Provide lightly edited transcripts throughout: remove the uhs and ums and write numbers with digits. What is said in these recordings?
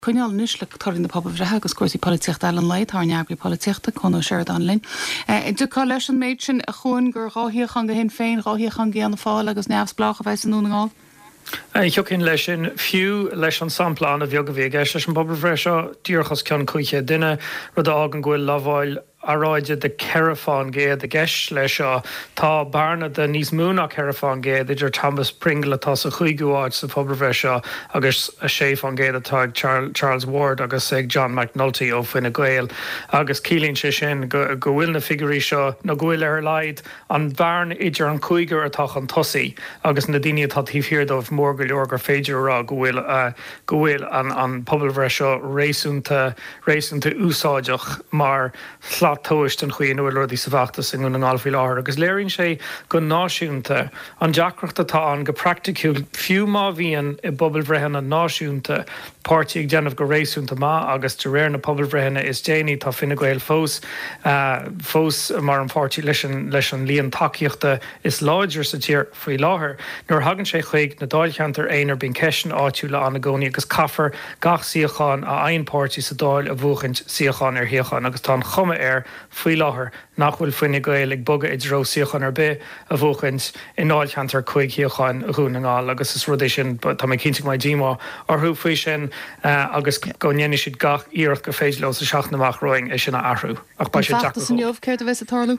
Coinneáil anois le torthaí na pobalbhreithe agus cúrsaí polaitíochta eile an lae, tá ár n-eagraí polaitíochta, Cuan Ó Seireadáin linn. An dtiocfá leis an méid sin, a Chuain, gur 2 shuíochán do Shinn Féin, 2 shuíochán d'Fhianna Fáil agus neamhspleách a bheas i nDún na nGall? Thiocfainn leis sin, fiú leis an sampla an-bheag a bhí i gceist leis an bpobalbhreith seo, díreach os cionn 500 duine, rud a fhágann go bhfuil lamháil earráide de 4 fán gcéad i gceist leis seo. Tá bearna de níos mó ná 4 fán gcéad idir Thomas Pringle atá sa chúigiú háit sa phobalbhreith seo agus 6 fán gcéad atá ag Charles Ward agus ag John McNulty ó Fine Gael agus ciallaíonn sé sin go bhfuil na figiúirí seo, nó go bhfuil ar a laghad an bhearna idir an cúigear atá chun tosaigh agus na daoine atá taobh thiar dóibh mór go leor gur féidir a rá go bhfuil go bhfuil an pobalbhreith seo réasúnta réasúnta úsáideach mar shlat tomhais den chaoi ina bhfuil rudaí sa bhfeachtas i nDún na nGall faoi láthair agus léiríonn sé go náisiúnta an deacracht atá ann go praiticiúil fiú má bhíonn i bpobalbhreitheanna náisiúnta páirtí ag déanamh go réasúnta maith agus de réir na pobalbhreitheanna is déanaí tá Fine Gael fós fós mar an pháirtí leis an leis an líon tacaíochta is láidre sa tír. Faoi láthair, nuair a thagann sé chuig na dáilcheantair aonair bíonn ceisteanna áitiúla ann i gcónaí agus caithfear gach suíochán a fhaigheann páirtí sa Dáil a bhuachaint suíochán ar shuíochán agus tá an chuma air faoi láthair nach bhfuil Fine Gael ag bogadh i dtreo suíochán ar bith a bhuachaint i ndáilcheantar 5 shuíocháin Dhún na nGall agus is rud é sin tá mé cinnte go mbeidh díomá orthu faoi sin agus go ndéanfaidh siad gach iarracht gur féidir leo sa seachtain amach romhainn é sin a athrú ach beidh sé deacair An feachtas inniu, céard a bheas ag tarlú?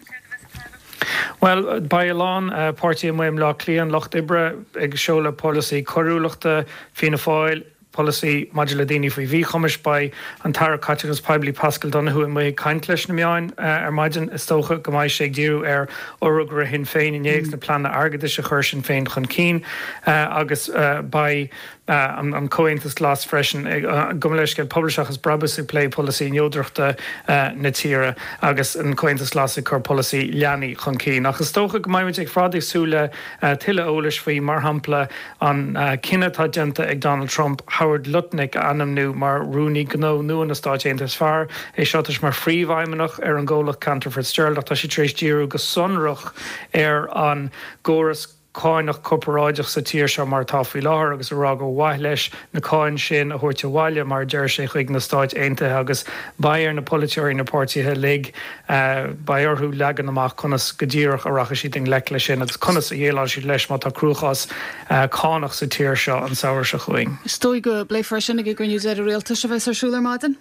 Bhuel, beidh a lán páirtí amuigh i mBleá Cliath, an Lucht Oibre ag seoladh polasaí coiriúlachta, Fianna Fáil, polasaí maidir le daoine faoi mhíchumais. Beidh an tAire Caiteachais Poiblí Paschal Donohoe amuigh ag caint leis na meáin ar maidin. Is dócha go mbeidh sé ag díriú ar fhorógra Shinn Féin inné agus na pleananna airgeadais a chuir Sinn Féin chun cinn agus beidh an Comhaontas Glas freisin, gabh mo leithscéal, Pobal Seachas Brabús ag plé polasaí neodrachta na tíre agus an Comhaontas Glas ag cur polasaí leanaí chun cinn. Ach is dócha go mbeidh muid ar fad ag súil le tuilleadh eolais faoi, mar shampla, an cinneadh atá déanta ag Donald Trump Howard Lutnick a ainmniú mar Rúnaí Gnó nua na Stáit Aontaithe. Is fear é seo atá mar phríomhfheidhmeannach ar an gcomhlacht Cantor Fitzgerald ach tá sé tar éis díriú go sonrach ar an gcóras cánach corparáideach sa tír seo mar atá faoi láthair agus a rá gur mhaith leis na cáin sin a thabhairt abhaile, mar a deir sé, chuig na Stáit Aontaithe agus beidh ar na polaiteoirí, na páirtithe uilig, beidh orthu leagan amach conas go díreach a rachaidh siad i ngleic leis sin agus conas a dhéileálfaidh siad leis má tá cruachás cánach sa tír seo an samhradh seo chugainn. Is dóigh go bpléifear é sin ag an gcruinniú deiridh rialtais a bheas ar siúl ar maidin.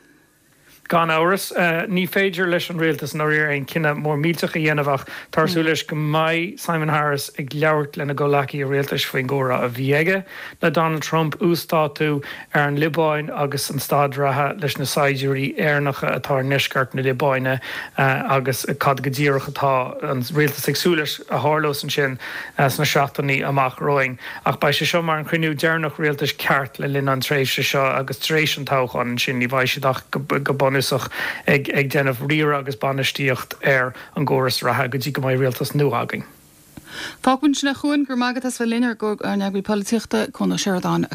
Gan amhras, ní féidir leis an rialtas i ndáiríre aon chinneadh mór millteach a dhéanamh ach táthar ag súil leis go mbeidh Simon Harris ag labhairt lena gcomhleacaithe rialtais faoin gcomhrá a bhí aige le Donald Trump, uasdátú ar an Liobáin agus an staid reatha leis na saighdiúirí Éireannacha atá i ndeisceart na Liobáine agus cad go díreach atá an rialtas ag súil leis a tharlós ansin sna seachtainí amach romhainn. Ach beidh sé seo mar an chruinniú deireanach rialtais ceart le linn an tréimhse seo agus tar éis an toghcháin ansin ní bheidh siad ach go bunúsach ag déanamh riaradh agus bainistíocht ar an gcóras reatha go dtí go mbeidh rialtas nua againn. Fágfaimid ansin é a Chuain, go raibh maith agat as bheith linn ár n-eagraí polaitíochta, Cuan Ó Seireadáin.